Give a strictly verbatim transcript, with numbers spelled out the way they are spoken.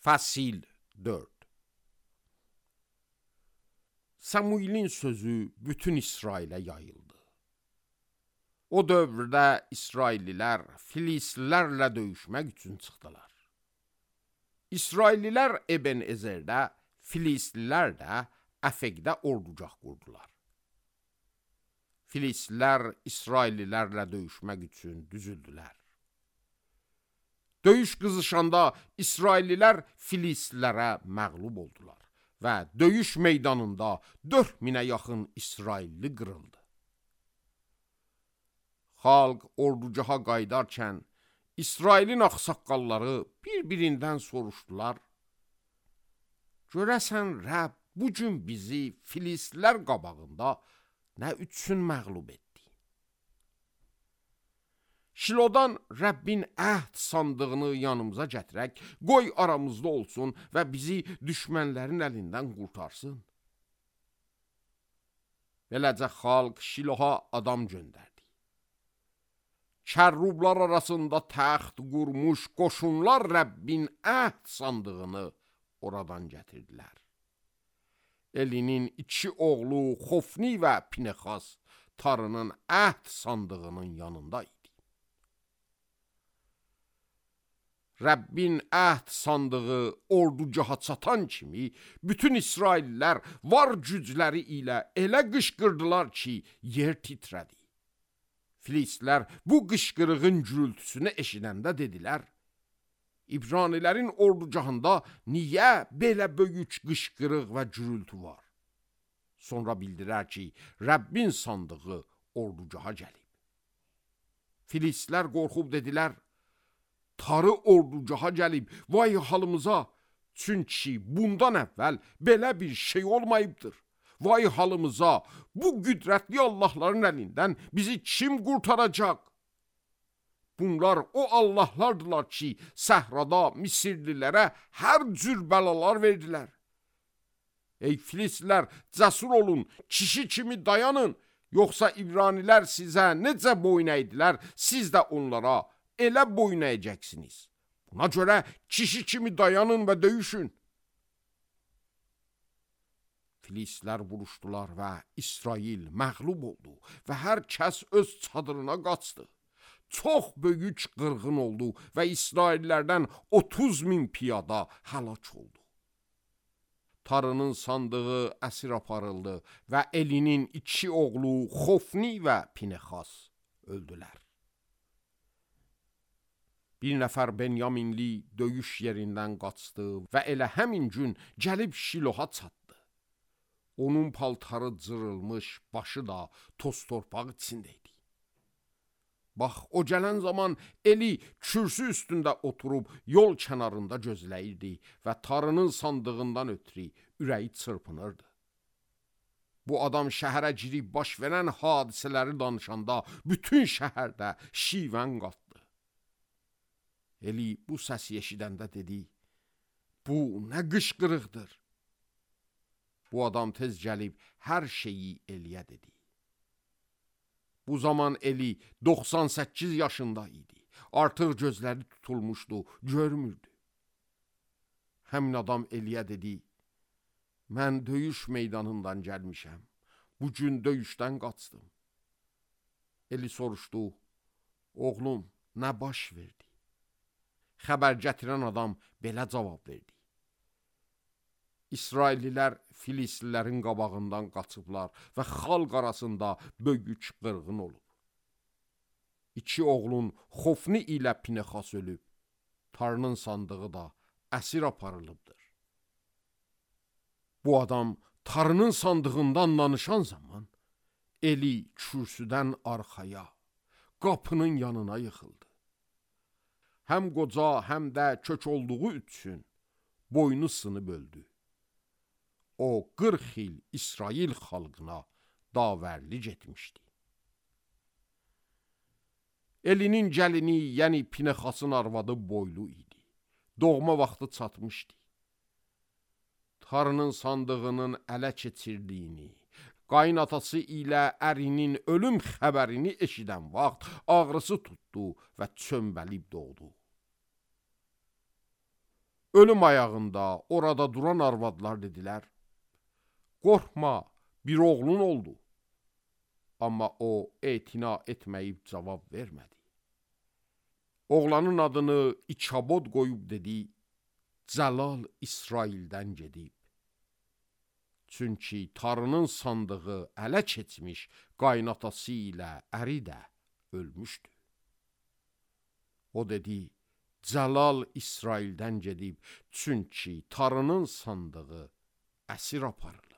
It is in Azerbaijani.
Fəsil dörd. Samuilin sözü bütün İsrailə yayıldı. O dövrdə İsraillilər Filistlilərlə döyüşmək üçün çıxdılar. İsraillilər Ebenezerdə, Filistlilər də Əfəqdə ordugah qurdular. Filistlilər İsraillilərlə döyüşmək üçün düzüldülər. Döyüş qızışanda İsraillilər Filistlilərə məğlub oldular və döyüş meydanında dörd minə yaxın İsrailli qırıldı. Xalq ordugaha qaydarkən İsrailin ağsaqqalları bir-birindən soruşdular: görəsən Rəbb bu gün bizi Filistlilər qabağında nə üçün məğlub etdi? Şilodan Rəbbin əhd sandığını yanımıza gətirək, qoy aramızda olsun və bizi düşmənlərin əlindən qurtarsın. Beləcə xalq Şiloha adam göndərdi. Kərrublar arasında təxt qurmuş qoşunlar Rəbbin əhd sandığını oradan gətirdilər. Elinin iki oğlu Xofni və Pinexas Tarının əhd sandığının yanında idi. Rəbbin əhd sandığı ordugaha çatan kimi bütün İsraillilər var gücləri ilə elə qışqırdılar ki, yer titrədi. Filistlilər bu qışqırığın gürültüsünü eşidəndə dedilər: İbranilərin ordugahında niyə belə böyük qışqırıq və gürültü var? Sonra bildilər ki, Rəbbin sandığı ordugaha gəlib. Filistlilər qorxub dedilər: Tarı ordugaha gəlib, vay halımıza, çünki bundan əvvəl belə bir şey olmayıbdır. Vay halımıza, bu qüdrətli Allahların əlindən bizi kim qurtaracaq? Bunlar o Allahlardılar ki, səhrada Misirlilərə hər cür bəlalar verdilər. Ey Filistlilər, cəsur olun, kişi kimi dayanın, yoxsa İbranilər sizə necə boyun əydilər, siz də onlara elə boyun əyəcəksiniz. Buna görə kişi kimi dayanın və döyüşün. Filistlilər vuruşdular və İsrail məğlub oldu və hər kəs öz çadırına qaçdı. Çox böyük qırğın oldu və İsraillərdən otuz min piyada həlak oldu. Tarının sandığı əsir aparıldı və Elinin iki oğlu Xofni və Pinexas öldülər. Bir nəfər Benyaminli döyüş yerindən qaçdı və elə həmin gün gəlib Şiloha çatdı. Onun paltarı cırılmış, başı da toz torpaq içində idi. Bax, o gələn zaman Eli kürsü üstündə oturub yol kənarında gözləyirdi və Tarının sandığından ötürü ürəyi çırpınırdı. Bu adam şəhərə girib baş verən hadisələri danışanda bütün şəhərdə şivən qatdı. Eli bu səsi eşidəndə dedi: bu nə qışqırıqdır? Bu adam tez gəlib hər şeyi Eliyə dedi. Bu zaman Eli doxsan səkkiz yaşında idi. Artıq gözləri tutulmuşdu, görmürdü. Həmin adam Eliyə dedi: mən döyüş meydanından gəlmişəm. Bugün döyüşdən qaçdım. Eli soruşdu: oğlum, nə baş verdi? Xəbər gətirən adam belə cavab verdi: İsraillilər Filistlilərin qabağından qaçıblar və xalq arasında böyük qırğın olub. İki oğlun Xofni ilə Pinexas ölüb, Tarının sandığı da əsir aparılıbdır. Bu adam Tarının sandığından danışan zaman Eli kürsüdən arxaya, qapının yanına yıxıldı. Həm qoca, həm də kök olduğu üçün boynu sınıb öldü. O qırx il İsrail xalqına davərlik etmişdi. Elinin gəlini, yəni Pinexasın arvadı boylu idi. Doğma vaxtı çatmışdı. Tarının sandığının ələ keçirdiyini, qaynatası ilə ərinin ölüm xəbərini eşidən vaxt ağrısı tutdu və çömbəlib doğdu. ölüm ayağında orada duran arvadlar dedilər, qorxma, bir oğlun oldu. Amma o etina etməyib cavab vermədi. Oğlanın adını İçabod qoyub dedi, Cəlal İsraildən gedib. Çünki tarının sandığı ələ keçmiş qaynatası ilə əri də ölmüşdü. O dedi, Cəlal İsraildən gedib, çünki tarının sandığı əsir aparılıb.